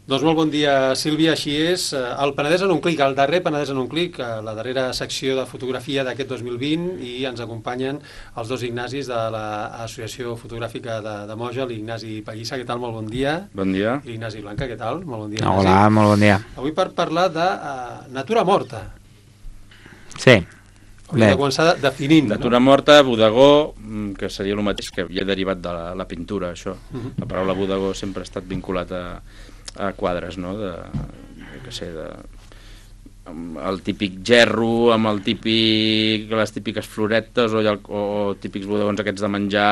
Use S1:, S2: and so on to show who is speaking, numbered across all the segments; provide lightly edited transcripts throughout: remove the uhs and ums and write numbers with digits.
S1: Doncs molt bon dia, Sílvia. Així és, el Penedès en un clic, el darrer Penedès en un clic, la darrera secció de fotografia d'aquest 2020, i ens acompanyen els dos Ignacis de l'Associació Fotogràfica de Moja, l'Ignasi Pallissa. Què tal? Molt bon dia.
S2: Bon dia.
S1: I l'Ignasi Blanca, què tal? Molt bon dia, Ignasi.
S3: Hola, molt bon dia.
S1: Avui per parlar de natura morta.
S3: Sí.
S1: Hauríem de començar definint.
S2: Natura morta, bodegó, que seria el mateix que havia derivat de la pintura, això. La paraula bodegó sempre ha estat vinculat a quadres, no? El típic gerro amb les típiques floretes o típics bodegons aquests de menjar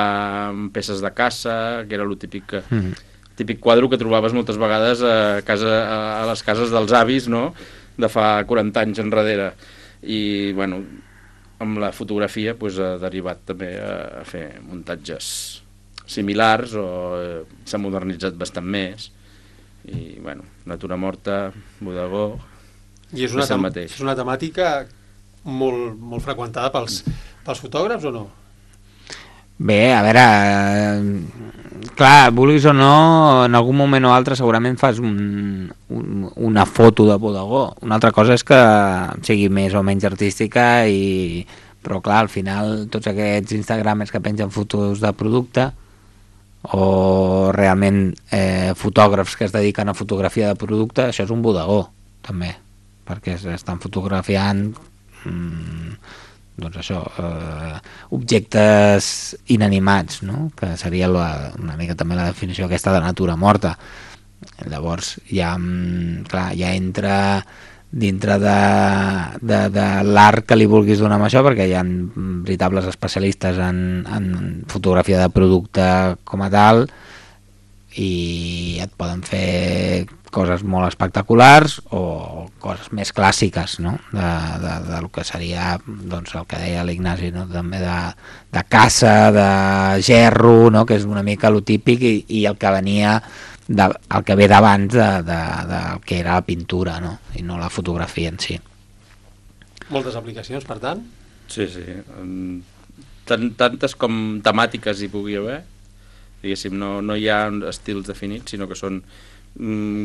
S2: amb peces de caça, que era el típic quadre que trobaves moltes vegades a les cases dels avis, no? De fa 40 anys enrere. I, bueno, amb la fotografia ha derivat també a fer muntatges similars, o s'ha modernitzat bastant més. I, bueno, natura morta, bodegó,
S1: i és una temàtica molt, molt freqüentada pels fotògrafs, o no?
S3: Bé, a veure, clar, vulguis o no, en algun moment o altre segurament fas una foto de bodegó. Una altra cosa és que sigui més o menys artística, però clar, al final tots aquests instagramers que pengen fotos de producte, o realment fotògrafs que es dediquen a fotografia de producte, això és un bodegó també, perquè estan fotografiant doncs això, objectes inanimats, no? Que seria una mica també la definició aquesta de natura morta. Llavors ja entra dintre de l'art que li vulguis donar amb això, perquè hi ha veritables especialistes en fotografia de producte com a tal, i et poden fer coses molt espectaculars o coses més clàssiques, no? Del que seria, doncs, el que deia l'Ignasi, no? També de caça, de gerro, no? Que és una mica lo típic, i el que venia el que ve d'abans del que era la pintura, no? I no la fotografia en si.
S1: Moltes aplicacions, per tant?
S2: Sí. Tantes com temàtiques hi pugui haver. Diguéssim, no hi ha estils definits, sinó que són...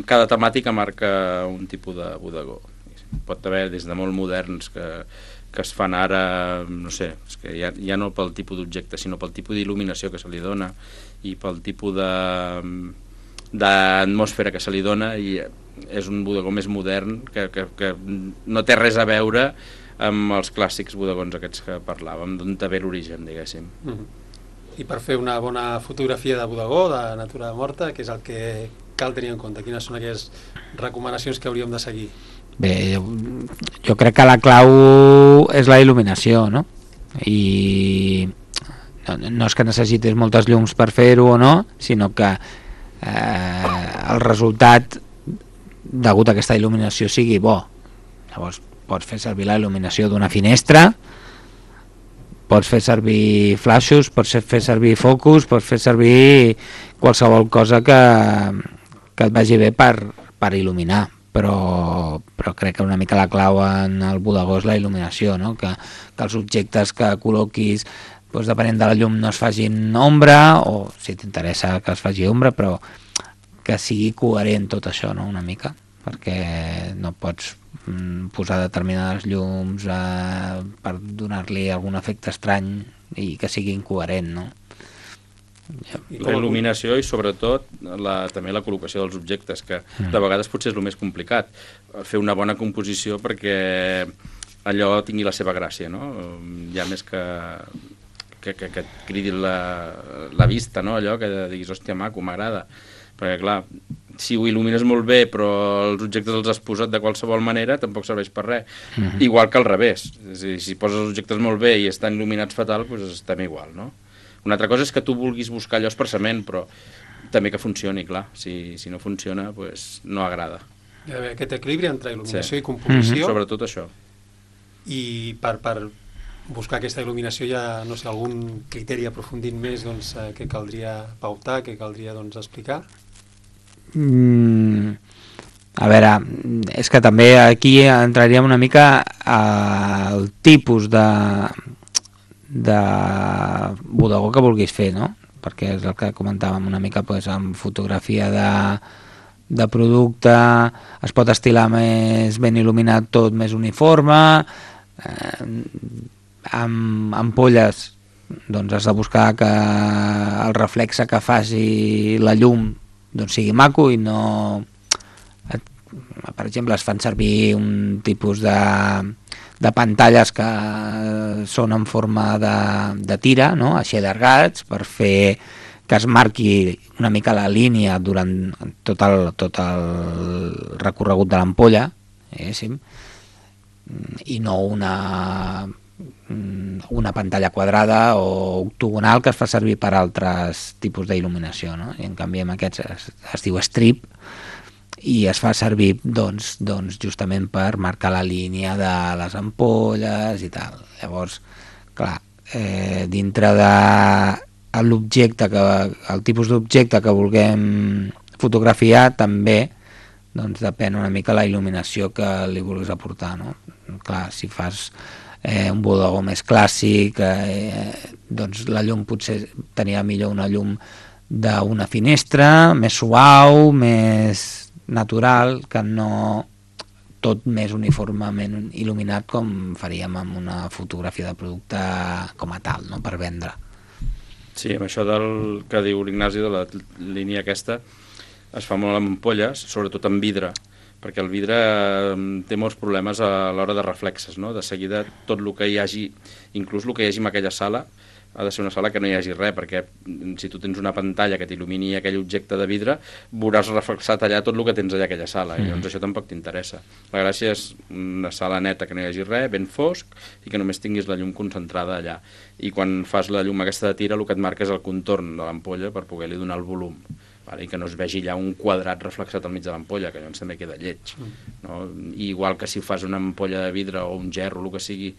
S2: Cada temàtica marca un tipus de bodegó. Pot haver des de molt moderns que es fan ara, no sé, és que ja no pel tipus d'objecte, sinó pel tipus d'il·luminació que se li dona, i pel tipus d'atmosfera que se li dona, i és un bodegó més modern que no té res a veure amb els clàssics bodegons aquests que parlàvem, d'on té l'origen, diguéssim.
S1: I per fer una bona fotografia de bodegó, de natura morta, què és el que cal tenir en compte? Quines són aquelles recomanacions que hauríem de seguir?
S3: Bé, jo crec que la clau és la il·luminació, no? I no és que necessitis moltes llums per fer-ho o no, sinó que el resultat degut a aquesta il·luminació sigui bo. Llavors pots fer servir la il·luminació d'una finestra, pots fer servir flaixos, pots fer servir focus, pots fer servir qualsevol cosa que et vagi bé per il·luminar, però crec que una mica la clau en el bodegó és la il·luminació, no? Que els objectes que col·loquis, doncs, depenent de la llum, no es facin ombra, o si t'interessa que es faci ombra, però que sigui coherent tot això, no? Una mica, perquè no pots posar determinades llums per donar-li algun efecte estrany i que sigui incoherent, no?
S2: La il·luminació i sobretot també la col·locació dels objectes, que de vegades potser és el més complicat, fer una bona composició perquè allò tingui la seva gràcia, no? Ja més que et cridi la vista, no? Allò que diguis, hòstia, maco, m'agrada, perquè clar, si ho il·lumines molt bé però els objectes els has posat de qualsevol manera, tampoc serveix per res. Igual que al revés, és a dir, si poses els objectes molt bé i estan il·luminats fatal, doncs estem igual, no? Una altra cosa és que tu vulguis buscar allò expressament, però també que funcioni, clar. Si no funciona, doncs no agrada.
S1: Hi ha d'haver aquest equilibri entre il·luminació i composició.
S2: Sobretot això.
S1: I per buscar aquesta il·luminació hi ha, no sé, algun criteri aprofundint més, doncs, que caldria pautar, que caldria, doncs, explicar?
S3: A veure, és que també aquí entraríem una mica al tipus de bodegó que vulguis fer, no? Perquè és el que comentàvem una mica, doncs, amb fotografia de producte, es pot estilar més ben il·luminat tot, més uniforme, amb ampolles doncs has de buscar que el reflexe que faci la llum doncs sigui maco i no... Per exemple, es fan servir un tipus de pantalles que són en forma de tira, no? Així allargats, per fer que es marqui una mica la línia durant tot el recorregut de l'ampolla, i no una pantalla quadrada o octogonal que es fa servir per altres tipus d'il·luminació, no? I en canvi amb aquests es diu strip i es fa servir doncs justament per marcar la línia de les ampolles i tal. Llavors, clar, dintre de l'objecte, el tipus d'objecte que vulguem fotografiar també doncs depèn una mica la il·luminació que li vulguis aportar, no? Clar, si fas un bodegó més clàssic, doncs la llum potser tenia millor una llum d'una finestra, més suau, més natural, que no tot més uniformement il·luminat com faríem amb una fotografia de producte com a tal, no? Per vendre.
S2: Sí, amb això del que diu l'Ignasi de la línia aquesta, es fa molt amb ampolles, sobretot amb vidre, perquè el vidre té molts problemes a l'hora de reflexes, no? De seguida tot el que hi hagi, inclús el que hi hagi en aquella sala, ha de ser una sala que no hi hagi res, perquè si tu tens una pantalla que t'il·lumini aquell objecte de vidre, veuràs reflexat allà tot el que tens allà a aquella sala, i llavors això tampoc t'interessa. La gràcia és una sala neta que no hi hagi res, ben fosc, i que només tinguis la llum concentrada allà. I quan fas la llum aquesta de tira, el que et marca és el contorn de l'ampolla per poder-li donar el volum, i que no es vegi allà un quadrat reflexat al mig de l'ampolla, que llavors també queda lleig. No? I igual que si fas una ampolla de vidre o un gerro, el que sigui,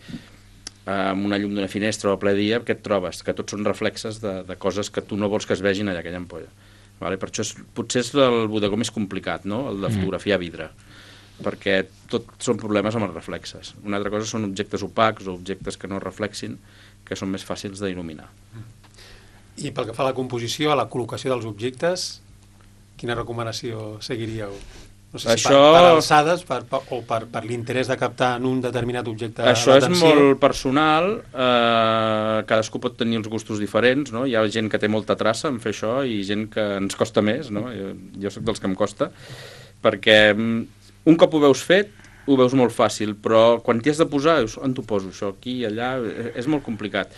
S2: amb una llum d'una finestra o a ple dia, què et trobes? Que tots són reflexes de coses que tu no vols que es vegin allà aquella ampolla. Vale? Per això potser és el bodegó més complicat, no? El de fotografiar vidre, perquè tot són problemes amb els reflexes. Una altra cosa són objectes opacs o objectes que no reflexin, que són més fàcils d'il·luminar.
S1: I pel que fa a la composició, a la col·locació dels objectes, quina recomanació seguiríeu? No sé si per alçades o per l'interès de captar en un determinat objecte
S2: l'atenció.
S1: Això
S2: és molt personal, cadascú pot tenir els gustos diferents, no? Hi ha gent que té molta traça en fer això i gent que ens costa més, no? Jo soc dels que em costa, perquè un cop ho veus fet, ho veus molt fàcil, però quan t'hi has de posar, dius, on t'ho poso, això, aquí, allà, és molt complicat.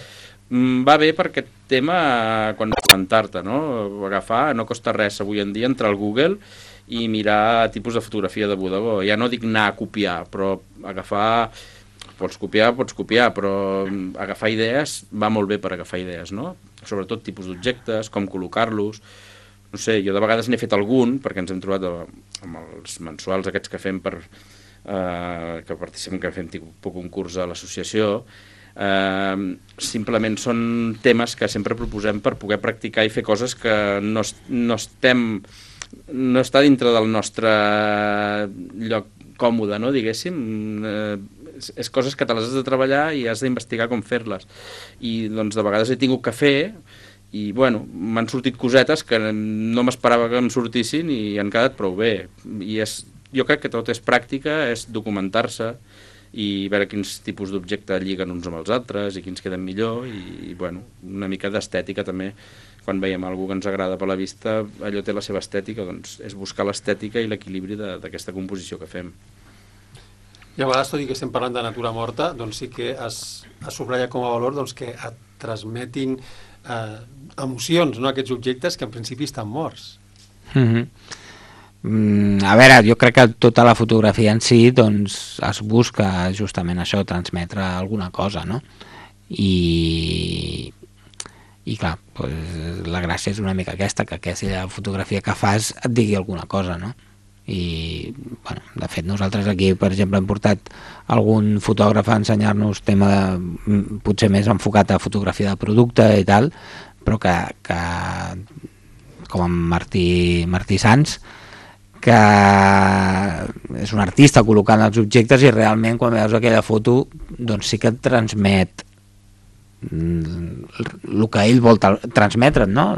S2: Va bé per aquest tema quan presentar-te, no? Agafar, no costa res avui en dia entrar al Google i mirar tipus de fotografia de bodegó. Ja no dic anar a copiar, però agafar... Pots copiar, però agafar idees va molt bé per agafar idees, no? Sobretot tipus d'objectes, com col·locar-los. No sé, jo de vegades n'he fet algun, perquè ens hem trobat amb els mensuals aquests que fem que participem, que fem tipus concurs a l'associació. Simplement són temes que sempre proposem per poder practicar i fer coses que no està dintre del nostre lloc còmode, no, diguéssim. És coses que te les has de treballar i has d'investigar com fer-les. I doncs de vegades he tingut que fer i bueno, m'han sortit cosetes que no m'esperava que em sortissin i han quedat prou bé. I jo crec que tot és pràctica, és documentar-se i veure quins tipus d'objecte lliguen uns amb els altres i quins queden millor i bueno, una mica d'estètica també. Quan veiem alguna que ens agrada per la vista, allò té la seva estètica, doncs és buscar l'estètica i l'equilibri d'aquesta composició que fem.
S1: I a vegades, tot i que estem parlant de natura morta, doncs sí que es subratlla com a valor doncs, que et transmetin emocions, no? Aquests objectes que en principi estan morts.
S3: A veure, jo crec que tota la fotografia en si doncs, es busca justament això, transmetre alguna cosa, no? I clar, doncs, la gràcia és una mica aquesta, que aquella fotografia que fas et digui alguna cosa, no? I, bueno, de fet, nosaltres aquí, per exemple, hem portat algun fotògraf a ensenyar-nos tema potser més enfocat a fotografia de producte i tal, però que com en Martí Sans, que és un artista col·locant els objectes i realment quan veus aquella foto doncs sí que et transmet el que ell vol transmetre't, no?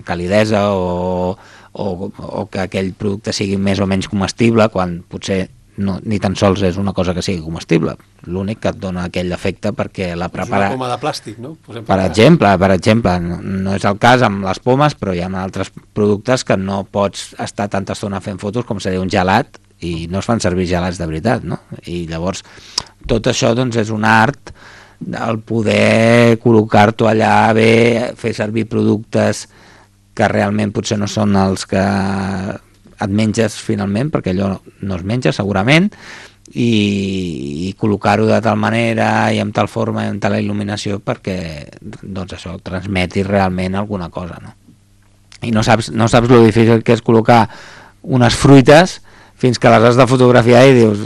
S3: Calidesa o o que aquell producte sigui més o menys comestible, quan potser no, ni tan sols és una cosa que sigui comestible. L'únic que et dona aquell efecte perquè la prepara...
S1: És una poma de plàstic, no?
S3: Per exemple, no és el cas amb les pomes, però hi ha altres productes que no pots estar tanta estona fent fotos com seria un gelat, i no es fan servir gelats de veritat, no? I llavors tot això doncs és un art, el poder col·locar-t'ho allà bé, fer servir productes que realment potser no són els que et menges finalment, perquè allò no es menja segurament, i col·locar-ho de tal manera i amb tal forma i amb tal il·luminació perquè doncs això transmeti realment alguna cosa, no? I no saps lo difícil que és col·locar unes fruites fins que les has de fotografiar i dius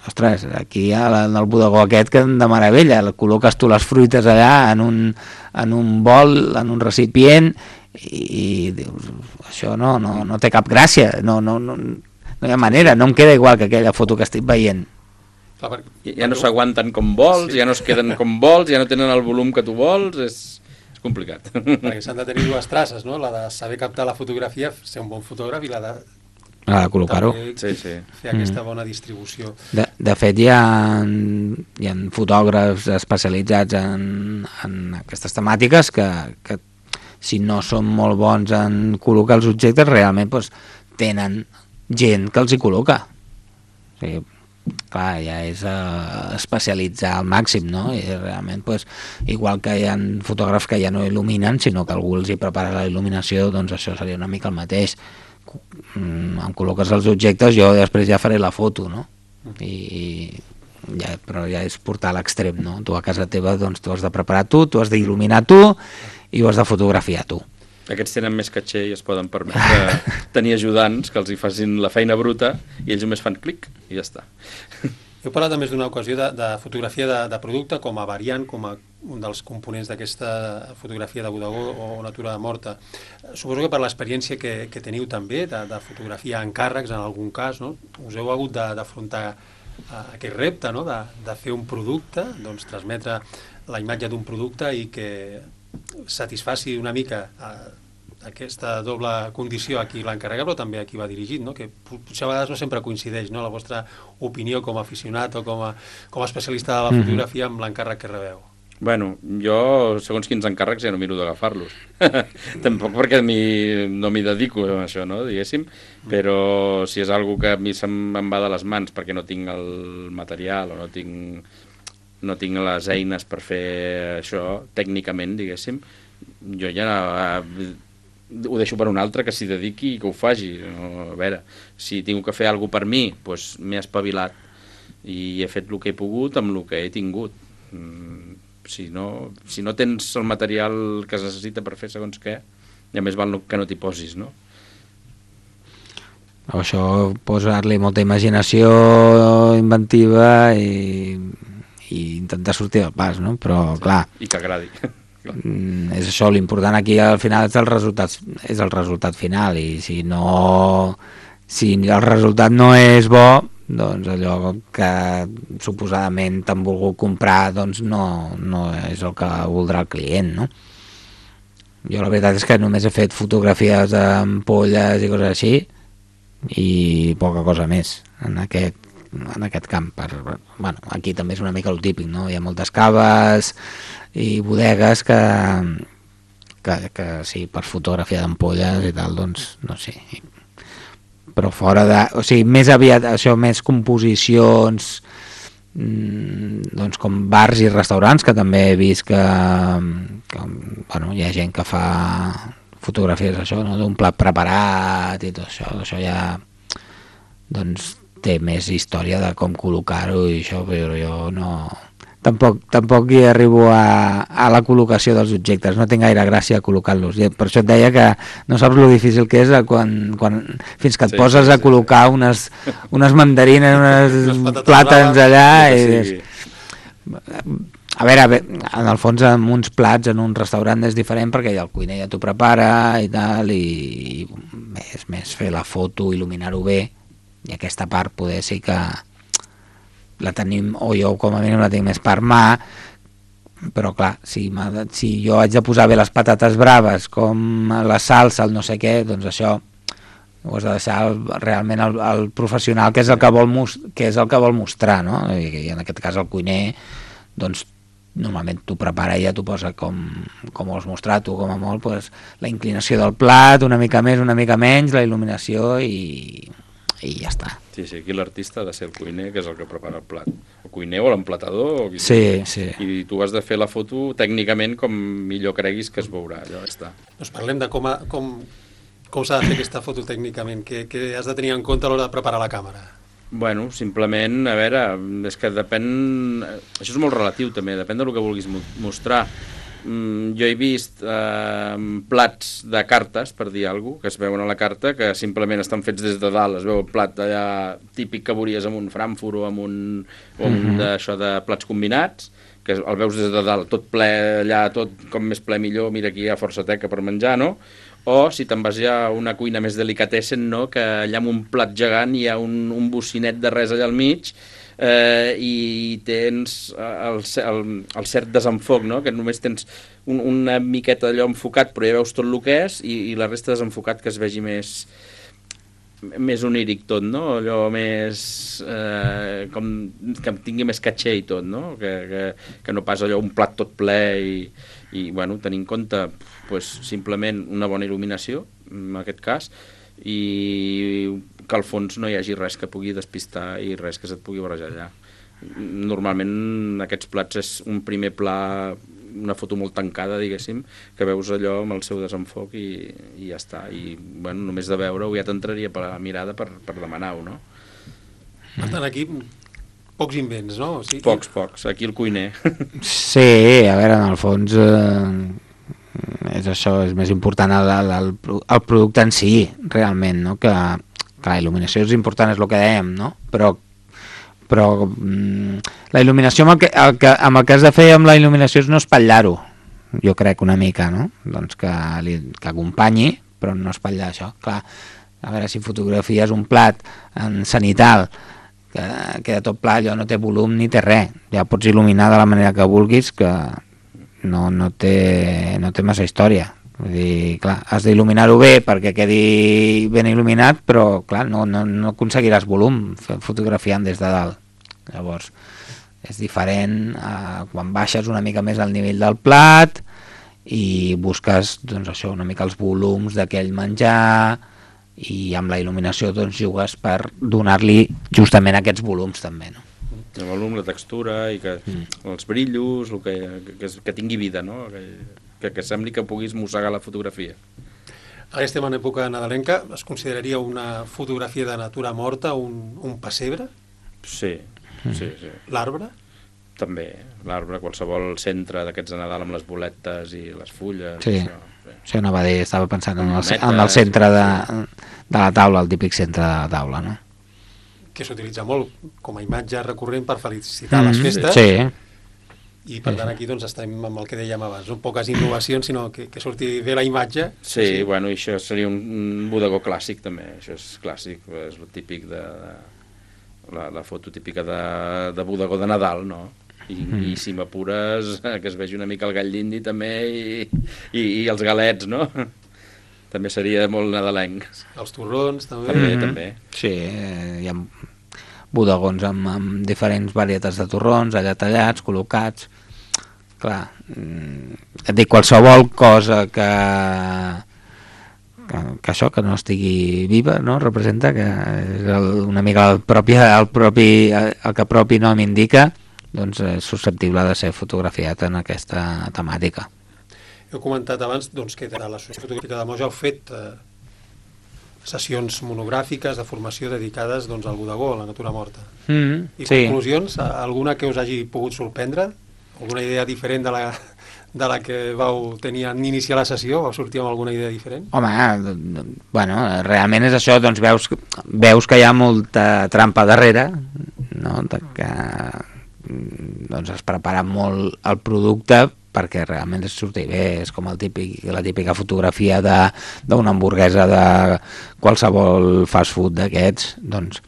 S3: ostres, aquí hi ha el bodegó aquest que de meravella, col·loques tu les fruites allà en un bol, en un recipient i dius, això no té cap gràcia, no hi ha manera, no em queda igual que aquella foto que estic veient.
S2: Ja no s'aguanten com vols, ja no es queden com vols, ja no tenen el volum que tu vols, és complicat.
S1: Perquè s'han de tenir dues traces, no? La de saber captar la fotografia, ser un bon fotògraf, i la de
S3: col·locar-ho.
S1: Fer aquesta bona distribució.
S3: De fet, hi ha fotògrafs especialitzats en aquestes temàtiques que si no són molt bons en col·locar els objectes, realment doncs, tenen gent que els hi col·loca. O sigui, clar, ja és especialitzar al màxim, no? I realment, doncs, igual que hi ha fotògrafs que ja no il·luminen, sinó que algú els hi prepara la il·luminació, doncs això seria una mica el mateix. Em col·loques els objectes, jo després ja faré la foto, no? Però ja és portar a l'extrem, no? Tu a casa teva doncs t'ho has de preparar tu has d'il·luminar tu i ho has de fotografiar tu.
S2: Aquests tenen més caché i es poden permetre tenir ajudants que els hi facin la feina bruta i ells només fan clic i ja està.
S1: Heu parlat a més d'una ocasió de fotografia de producte com a variant, com a un dels components d'aquesta fotografia de bodegó o natura morta. Suposo que per l'experiència que teniu també de fotografia en càrrecs en algun cas, no? Us heu hagut d'afrontar aquest repte, no? De fer un producte, doncs transmetre la imatge d'un producte i que satisfaci una mica aquesta doble condició a qui l'encarrega, però també a qui va dirigit, no? Que potser a vegades no sempre coincideix, no? La vostra opinió com a aficionat o com a especialista de la fotografia amb l'encàrrec que rebeu.
S2: Bueno, jo, segons quins encàrrecs, ja no miro d'agafar-los. Tampoc perquè no m'hi dedico a això, no? Diguéssim, però si és algo que a mi se'm va de les mans perquè no tinc el material o no tinc les eines per fer això tècnicament, diguéssim, jo ja ho deixo per un altre que s'hi dediqui i que ho faci. A veure, si tinc que fer alguna cosa per mi, doncs m'he espavilat i he fet el que he pogut amb el que he tingut. Si no tens el material que es necessita per fer segons què, ja més val que no t'hi posis, no?
S3: Això, posar-li molta imaginació inventiva i intentar sortir del pas, no? Però, clar...
S2: I que agradi.
S3: És això, l'important aquí al final és el resultat final, i si el resultat no és bo, doncs allò que suposadament t'han volgut comprar doncs no és el que voldrà el client, no? Jo la veritat és que només he fet fotografies d'ampolles i coses així i poca cosa més en aquest camp. Bueno, aquí també és una mica el típic, no? Hi ha moltes caves i bodegues que sí, per fotografia d'ampolles i tal, doncs no sé, però fora de... O sigui, més aviat això, més composicions doncs com bars i restaurants, que també he vist que bueno, hi ha gent que fa fotografies això, no? D'un plat preparat i tot això ja doncs té més història de com col·locar-ho i això, però jo no... Tampoc hi arribo a la col·locació dels objectes, no tinc gaire gràcia a col·locar-los. Per això et deia que no saps lo difícil que és fins que et poses a col·locar unes mandarines, uns plàtans allà i... A veure, en el fons amb uns plats en un restaurant és diferent perquè el cuiner ja t'ho prepara i tal, i és més fer la foto, il·luminar-ho bé, i aquesta part poder sí que la tenim, o jo com a mínim la tinc més per mà, però clar, si jo haig de posar bé les patates braves, com la salsa, el no sé què, doncs això ho has de deixar realment el professional, que és el que vol mostrar, no? I en aquest cas el cuiner, doncs normalment t'ho prepara i ja t'ho posa com vols mostrar, tu com a molt, doncs, la inclinació del plat, una mica més, una mica menys, la il·luminació i ja està.
S2: Sí, aquí l'artista ha de ser el cuiner, que és el que prepara el plat. El cuiner o l'emplatador.
S3: Sí.
S2: I tu has de fer la foto tècnicament com millor creguis que es veurà, allò està.
S1: Doncs parlem de com s'ha de fer aquesta foto tècnicament, què has de tenir en compte a l'hora de preparar la càmera?
S2: Bueno, simplement, a veure, és que depèn... Això és molt relatiu també, depèn del que vulguis mostrar. Jo he vist plats de cartes, per dir alguna cosa, que es veuen a la carta, que simplement estan fets des de dalt, es veu el plat allà típic que veuries amb un Frankfurt o amb un d'això de plats combinats, que el veus des de dalt, tot ple allà, tot com més ple millor, mira aquí hi ha força teca per menjar, no? O si te'n vas ja a una cuina més delicatessen, no? Que allà amb un plat gegant hi ha un bocinet de res allà al mig i tens el cert desenfoc, no? Que només tens una miqueta d'allò enfocat, però ja veus tot el que és, i la resta desenfocat, que es vegi més oníric tot, no? Allò més... com que tingui més caché i tot, no? Que no pas allò un plat tot ple i bueno, tenir en compte pues, simplement una bona il·luminació, en aquest cas, i que al fons no hi hagi res que pugui despistar i res que se't pugui barrejar allà. Normalment aquests plats és un primer pla, una foto molt tancada, diguéssim, que veus allò amb el seu desenfoc i ja està. I bueno, només de veure-ho ja t'entraria per la mirada per demanar-ho, no?
S1: Per tant, aquí pocs invents, no? O sigui,
S2: Pocs. Aquí el cuiner.
S3: Sí, a veure, en el fons és això, és més important el producte en si, realment, no? Que la il·luminació és important, és el que dèiem, no? Però la il·luminació amb el que has de fer amb la il·luminació és no espatllar-ho, jo crec una mica, no? Doncs que acompanyi, però no espatllar això. Clar, a veure, si fotografies un plat en cenital que queda tot pla, allò no té volum ni té res, ja pots il·luminar de la manera que vulguis, que no té massa història. Vull dir, clar, has d'il·luminar-ho bé perquè quedi ben il·luminat, però clar, no aconseguiràs volum fotografiant des de dalt. Llavors és diferent quan baixes una mica més al nivell del plat i busques, doncs això, una mica els volums d'aquell menjar, i amb la il·luminació doncs jugues per donar-li justament aquests volums també, no?
S2: El volum, la textura i que els brillos, que tingui vida, no? Que sembli que puguis mossegar la fotografia.
S1: Ara estem en època nadalenca, es consideraria una fotografia de natura morta un pessebre?
S2: Sí.
S1: L'arbre?
S2: També, l'arbre, qualsevol centre d'aquests de Nadal amb les boletes i les fulles.
S3: Sí. Sí, anava a dir, estava pensant en el centre de la taula, el típic centre de la taula, no?
S1: Que s'utilitza molt com a imatge recurrent per felicitar les festes.
S3: Sí.
S1: I per tant aquí doncs estem amb el que dèiem abans, no? Poques innovacions, sinó que surti bé la imatge.
S2: Sí, bueno, i això seria un bodegó clàssic també, això és clàssic, és el típic de la foto típica de bodegó de Nadal, no? I si m'apures, que es vegi una mica el gall d'indi també i els galets, no? També seria molt nadalenc.
S1: Els torrons també.
S2: També.
S3: Sí, hi ha bodegons amb diferents varietats de torrons, allà tallats, col·locats. Clar, et dic, qualsevol cosa que això, que no estigui viva, no? Representa que és una mica el que propi nom indica, doncs és susceptible de ser fotografiat en aquesta temàtica.
S1: Heu comentat abans doncs, que de l'Associació Fotogràfica de Moja heu fet sessions monogràfiques de formació dedicades doncs, al bodegó, a la natura morta. I conclusions? Alguna que us hagi pogut sorprendre? Alguna idea diferent de la que vau tenir en iniciar la sessió? Vau sortir amb alguna idea diferent?
S3: Home, bueno, realment és això, doncs veus que hi ha molta trampa darrere, no? Que doncs es prepara molt el producte perquè realment es surti bé, és com la típica fotografia d'una hamburguesa de qualsevol fast food d'aquests, doncs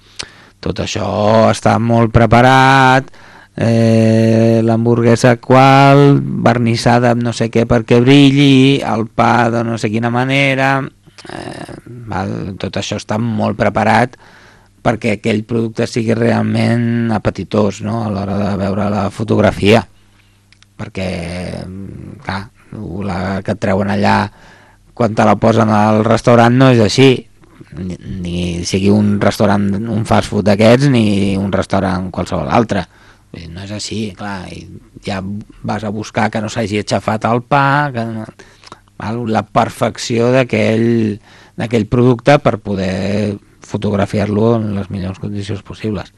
S3: tot això està molt preparat, l'hamburguesa qual, vernissada amb no sé què perquè brilli, el pa de no sé quina manera, tot això està molt preparat perquè aquell producte sigui realment apetitós, no?, a l'hora de veure la fotografia, perquè clar, la que et treuen allà quan te la posen al restaurant no és així, ni sigui un restaurant, un fast food d'aquests, ni un restaurant qualsevol altre. No és així, clar, i ja vas a buscar que no s'hagi aixafat el pa, que no, la perfecció d'aquell producte per poder fotografiar-lo en les millors condicions possibles.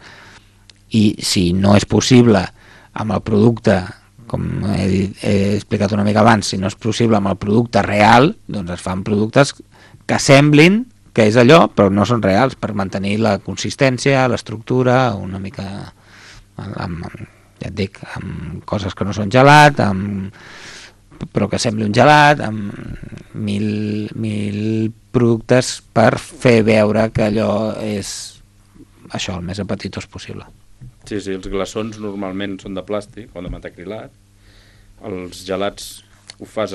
S3: I si no és possible amb el producte, com he explicat una mica abans, si no és possible amb el producte real, doncs es fan productes que semblin que és allò, però no són reals, per mantenir la consistència, l'estructura, una mica, ja et dic, amb coses que no són gelat, però que sembli un gelat, amb mil productes per fer veure que allò és això, el més apetitós possible.
S2: Sí, els glaçons normalment són de plàstic o de metacrilat. Els gelats ho fas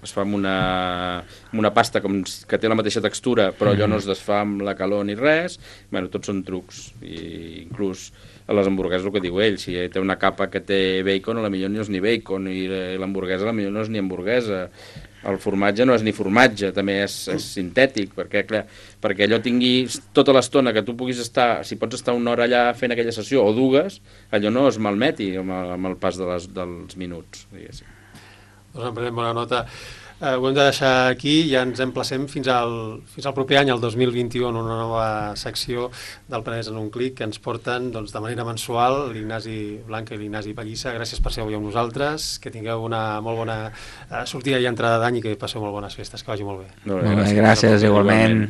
S2: es fa amb una pasta que té la mateixa textura, però allò no es desfà amb la calor ni res. Bueno, tots són trucs. I inclús a les hamburgueses, el que diu ell, si té una capa que té bacon, a la millor no és ni bacon, i l'hamburguesa a la millor no és ni hamburguesa. El formatge no és ni formatge, també és sintètic, perquè allò tingui tota l'estona que tu puguis estar, si pots estar una hora allà fent aquella sessió, o dues, allò no es malmeti amb el pas dels minuts, diguéssim.
S1: Doncs en prenem bona nota. Ho hem de deixar aquí i ja ens emplacem fins al proper any, el 2021, en una nova secció del Penedès en un clic que ens porten doncs, de manera mensual l'Ignasi Blanca i l'Ignasi Pallissa. Gràcies per ser avui amb nosaltres, que tingueu una molt bona sortida i entrada d'any i que passeu molt bones festes, que vagi molt bé.
S3: Molt bé, gràcies igualment.